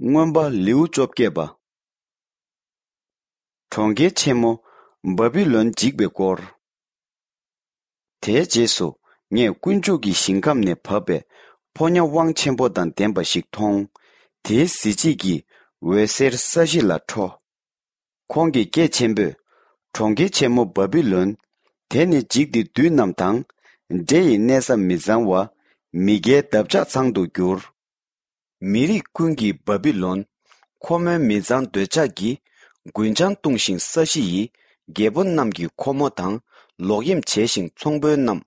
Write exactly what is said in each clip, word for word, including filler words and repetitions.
མངོན་པ་ལེའུ་བཅོ་བརྒྱད་པ། གྲོང་ཁྱེར་ཆེན་མོ་བཱ་བི་ལོན་འཇིག་པའི་སྐོར། དེའི་རྗེས་སུ་ངས་དཀོན་མཆོག་གི་ཞིང་ཁམས་ནས་བབས་པའི་ཕོ་ཉ་དབང་ཆེན་པོ་དང་ལྡན་པ་ཞིག་མཐོང་། དེའི་གཟི་བརྗིད་ཀྱིས་འོད་ཟེར་ས་གཞི་ལ་འཕྲོ། ཁོང་གིས་སྐད་ཆེན་པོས། གྲོང་ཁྱེར་ཆེན་མོ་བཱ་བི་ལོན། དེ་ནི་འཇིག་སྟེ་བདུད་རྣམས་དང་། འདྲེ་ཡི་གནས་ས་མི་གཙང་བ། མི་དགེའི་འདབ་ཆགས་ཚང་དུ་གྱུར། མི་རིགས་ཀུན་གྱིས་བཱ་བི་ལོན། ཁོ་མོའི་མི་གཙང་འདོད་ཆགས་ཀྱིས། རྒུན་ཆང་བཏུང་ཞིང་ས་གཞི་ཡི། རྒྱལ་པོ་རྣམས་ཀྱིས་ཁོ་མོ་དང་། ལོག་གཡེམ་བྱས་ཤིང་ཚོང་དཔོན་རྣམས།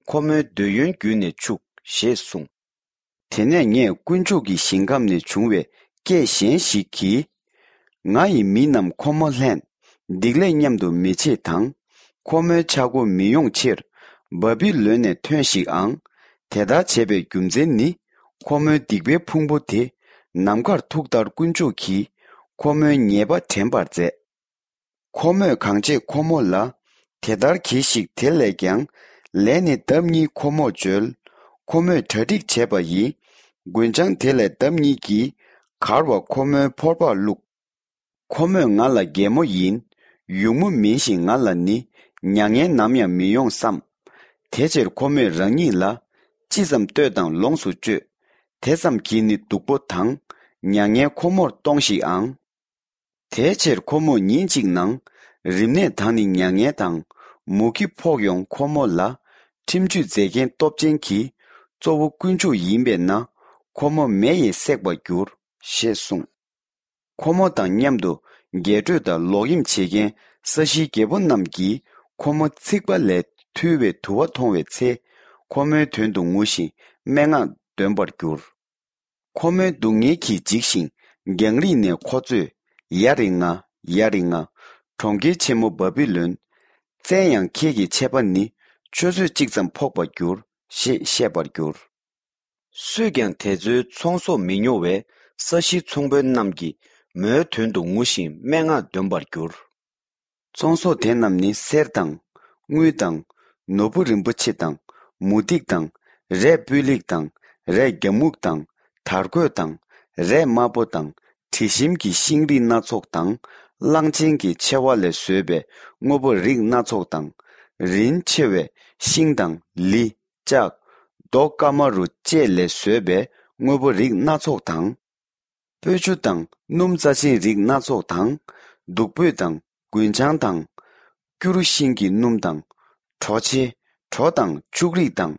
ཁོ་མོའི་འདོད་ཡོན་བརྒྱུད་ནས་ཕྱུག་ཞེས་གསུངས། དེ་ནས་ངས་དཀོན་མཆོག་གི་ཞིང་ཁམས་ནས་བྱུང་བའི་སྐད་གཞན་ཞིག་གིས། ང་ཡི་མི་རྣམས་ཁོ་མོ་ལྷན། སྡིག་ལས་མཉམ་དུ་མི་བྱེད་དང་། ཁོ་མོའི་ཆག་སྒོ་མི་ཡོང་ཕྱིར། བཱ་བི་ལོན་ནས་ཐོན་ཞིག་ཨང་། དེ་ལྟར་བྱས་པའི་རྒྱུ་མཚན་ནི། ཁོ་མོའི་སྡིག་པའི་ཕུང་པོ་དེ། ནམ་མཁར་ཐུག་མཐར་དཀོན་མཆོག་གིས། ཁོ་མོའི་ཉེས་པ་དྲན་པར་མཛད། ཁོ་མོས་གང་བྱེད་ཁོ་མོ་ལ། དེ་ལྟར་གྱིས་ཤིག་དེ་ལས་ཀྱང་། ལས་ནི་ལྡབ་གཉིས་ཁོ་མོར་འཇོལ། ཁོ་མོས་གྲ་སྒྲིག་བྱས་པ་ཡི། རྒུན་ཆང་དེ་ལས་ལྡབ་གཉིས་ཀྱིས། གར་བ་ཁོ་མོའི་ཕོར་པར་བླུགས། ཁོ་མོས་ང་ལ་རྒན་མོ་ཡིན། ཡུགས་མོ་མིན་ཞིང་ང་ལ་ནི། མྱ་ངན་ནམ་ཡང་མི་ཡོང་བསམ། དེ་ཕྱིར་ཁོ་མོས་རང་ཉིད་ལ། ཅི་ཙམ་བསྟོད་དང་ལོངས་སུ་སྤྱོད། དེ་ཙམ་གྱིས་ནི་སྡུག་པོ་དང་། མྱ་ངན་ཁོ་མོར་གཏོང་ཞིག་ཨང་། དེའི་ཕྱིར་ཁོ་མོས་ཉིན་གཅིག་ནང་། རིམས་ནད་དང་ནི་མྱ་ངན་དང་། མུ་གེ་ཕོག་ཡོང་ཁོ་མོ་ལ། ཁྲིམས་གཅོད་མཛད་མཁན་སྟོབས་ཅན་གྱིས། གཙོ་བོ་དཀོན་མཆོག་ཡིན་པས་ན། ཁོ་མོ་མེ་ཡིས་བསྲེགས་པར་འགྱུར། ཞེས་གསུངས། ཁོ་མོ་དང་མཉམ་དུ། རྒྱས་སྤྲོས་དང་ལོག་གཡེམ་བྱེད་མཁན། ས་གཞིའི་རྒྱལ་པོ་རྣམས་ཀྱིས། ཁོ་མོ་ཚིག་པ་ལས། ཐུལ་བའི་དུ་བ་མཐོང་བའི་ཚེ། ཁོ་མོའི་དོན་དུ་ངུ་ཞིང་། སྨྲེ་སྔགས་འདོན་པར་འགྱུར། ཁོ་མོའི་སྡུག་བསྔལ་གྱིས་འཇིགས་ཤིང་། རྒྱང་རིང་ནས་ཁོ་ཚོས། ཡ་རེ་ང་། ཡ་རེ་ང་། གྲོང་ཁྱེར་ཆེན་མོ་བཱ་བི་ལོན། བཙན་ཡང་ཁྱེད་ཀྱི་ཆད་པ་ནི། ཆུ་ཚོད་གཅིག་ཙམ་ཕོག་པར་འགྱུར། ཞེས་བཤད་པར་འགྱུར། སུས་ཀྱང་དེ་ཚོའི་ཚོང་ཟོག་མི་ཉོ་བས། ས་གཞིའི་ཚོང་དཔོན་རྣམས་ཀྱིས། མོའི་དོན་དུ་ངུ་ཞིང་། སྨྲེ་སྔགས་འདོན་པར་འགྱུར། ཚོང་ཟོག་དེ་རྣམས་ནི། གསེར་དང་། དངུལ་དང་། ནོར་བུ་རིན་པོ་ཆེ་དང་། མུ་ཏིག་དང་། རས་སྤུས་ལེགས་དང་། རས་རྒྱ་སྨུག་དང་། དར་གོས་དང་། རས་དམར་པོ་དང་། དྲི་ཞིམ་གྱི་ཤིང་རིགས་སྣ་ཚོགས་དང་། གླང་ཆེན་གྱི་མཆེ་བ་ལས་བཟོས་པའི། དངོས་པོ་རིགས་སྣ་ཚོགས་དང་། རིན་ཆེ་བའི་ཤིང་དང་། ལི། ལྕགས། རྡོ་ཀ་མ་རུ་བཅས་ལས་བཟོས་པའི། དངོས་པོ་རིགས་སྣ་ཚོགས་དང་། སྤོས་ཆུ་དང་། སྣུམ་རྩ་ཆེན་རིགས་སྣ་ཚོགས་དང་། བདུག་སྤོས་དང་། རྒུན་ཆང་དང་། སྐྱུ་རུ་ཤིང་གི་སྣུམ་དང་། གྲོ་ཕྱེ། གྲོ་དང་ཕྱུགས་རིགས་དང་།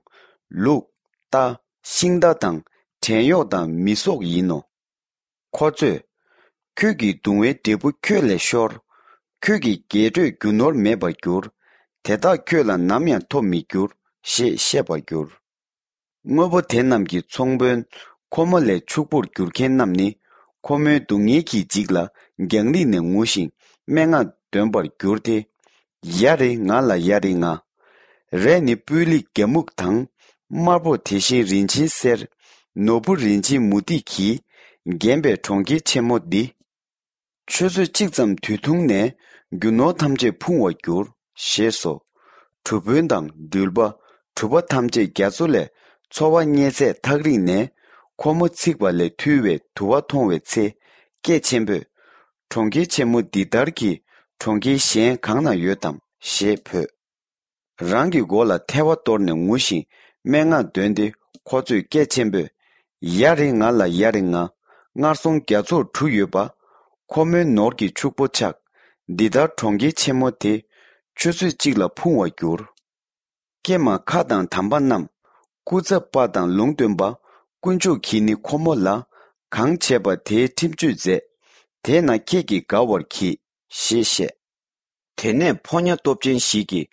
ལུག་རྟ། ཤིང་རྟ་དང་། བྲན་གཡོག་དང་། མི་སོགས་ཡིན་ནོ། ཁོ་ཚོས། ཁྱོད་ཀྱི་གདུང་བའི་འབྲས་བུ་ཁྱོད་ལས་ཤོར། ཁྱོད་ཀྱི་རྒྱས་སྤྲོས་རྒྱུ་ནོར་མེད་པར་འགྱུར། དེ་དག་ཁྱོད་ལ་ནམ་ཡང་ཐོབ་མི་འགྱུར། ཞེས་བཤད་པར་འགྱུར། དངོས་པོ་དེ་རྣམས་ཀྱི་ཚོང་དཔོན། ཁོ་མོ་ལས་ཕྱུག་པོར་འགྱུར་མཁན་རྣམས་ནི། ཁོ་མོའི་སྡུག་བསྔལ་གྱིས་འཇིགས་ལ། རྒྱང་རིང་ནས་ངུ་ཞིང་། སྨྲེ་སྔགས་འདོན་པར་འགྱུར་ཏེ། ཡ་རེ་ང་ལ། ཡ་རེ་ང་། རས་ནི་སྤུས་ལེགས་རྒྱ་སྨུག་དང་། དམར་པོ་དེ་བཞིན་རིན་ཆེན་གསེར། ནོར་བུ་རིན་ཆེན་མུ་ཏིག་གིས། བརྒྱན་པའི་གྲོང་ཁྱེར་ཆེན་མོ་འདི། ཆུ་ཚོད་གཅིག་ཙམ་དུས་ཐུང་ནས། རྒྱུ་ནོར་ཐམས་ཅད་ཕུང་བར་འགྱུར། ཞེས་སོ། གྲུ་དཔོན་དང་འགྲུལ་པ། གྲུ་པ་ཐམས་ཅད་རྒྱ་མཚོ་ལས། འཚོ་བ་རྙེད་ཚད་ཐག་རིང་ནས། ཁོ་མོ་ཚིག་པ་ལས་ཐུལ་བའི་དུ་བ་མཐོང་བའི་ཚེ། སྐད་ཆེན་པོས། གྲོང་ཁྱེར་ཆེན་མོ་འདི་ལྟར་གྱི། གྲོང་ཁྱེར་གཞན་གང་ན་ཡོད་དམ། ཞེས་བོས། རང་གི་མགོ་ལ་ཐལ་བ་གཏོར་ནས་ངུ་ཞིང་། སྨྲེ་སྔགས་འདོན་ཏེ། ཁོ་ཚོས་སྐད་ཆེན་པོས། ཡ་རེ་ང་ལ། ཡ་རེ་ང་། སྔར་སོང་རྒྱ་མཚོར་གྲུ་ཡོད་པ། ཁོ་མོའི་ནོར་གྱི་ཕྱུག་པོ་ཆག། འདི་ལྟར་གྲོང་ཁྱེར་ཆེན་མོ་དེ། ཆུ་ཚོད་གཅིག་ལ་ཕུང་བར་འགྱུར། ཀྱེ་མ་ཁ་དང་དམ་པ་རྣམས། སྐུ་ཚབ་པ་དང་ལུང་སྟོན་པ། དཀོན་མཆོག་གིས་ནི་ཁོ་མོ་ལ། གང་བྱས་པ་དེའི་ཁྲིམས་གཅོད་མཛད། དེས་ན་ཁྱེད་ཀྱིས་དགའ་བར་གྱིས། ཞེས་བཤད། དེ་ནས་ཕོ་ཉ་སྟོབས་ཅན་ཞིག་གིས།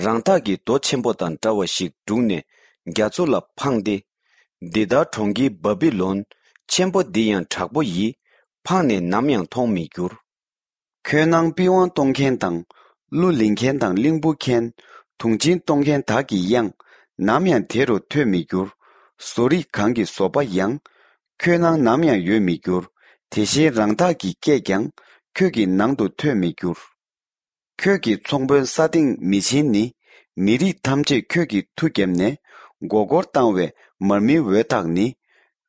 རང་འཐག་གི་རྡོ་ཆེན་པོ་དང་འདྲ་བ་ཞིག་བསྒྲུགས་ནས། རྒྱ་མཚོ་ལ་འཕངས་ཏེ། འདི་ལྟར་གྲོང་ཁྱེར་བཱ་བི་ལོན། ཆེན་པོ་འདི་ཡང་དྲག་པོ་ཡིས། འཕངས་ནས་ནམ་ཡང་མཐོང་མི་འགྱུར། ཁྱོད་ནང་པི་ཝང་གཏོང་མཁན་དང་། གླུ་ལེན་མཁན་དང་གླིང་བུ་མཁན། དུང་ཆེན་གཏོང་མཁན་དག་གི་དབྱངས། ནམ་ཡང་དེ་རུ་ཐོས་མི་འགྱུར། བཟོ་རིག་གང་གི་བཟོ་པ་ཡང་། ཁྱོད་ནང་ནམ་ཡང་ཡོད་མི་འགྱུར། དེ་བཞིན་རང་འཐག་གི་སྐད་ཀྱང་། ཁྱོད་ཀྱི་ནང་དུ་ཐོས་མི་འགྱུར། ཁྱོད་ཀྱི་ཚོང་དཔོན་ས་སྟེང་མི་ཆེན་ནི། མི་རིགས་ཐམས་ཅད་ཁྱོད་ཀྱི་མཐུ་བརྒྱབ་ནས། མགོ་སྐོར་བཏང་བའི་མར་མེའི་འོད་ཐག་ནི།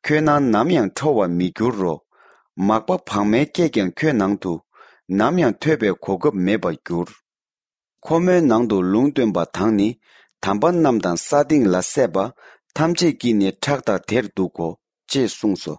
ཁྱོད་ནང་ནམ་ཡང་འཕྲོ་བར་མི་འགྱུར་རོ། མག་པ་བག་མའི་སྐད་ཀྱང་ཁྱོད་ནང་དུ་ནམ་ཡང་ཐོས་པའི་གོ་སྐབས་མེད་པར་འགྱུར། ཁོ་མོའི་ནང་དུ་ལུང་སྟོན་པ་དང་ནི་དམ་པ་རྣམས་དང་ས་སྟེང་ལ་སྲས་པ་ཐམས་ཅད་ཀྱིས་ནི་ཕྲག་དང་དེར་འདུག་གོ་ཅེས་གསུངས་སོ།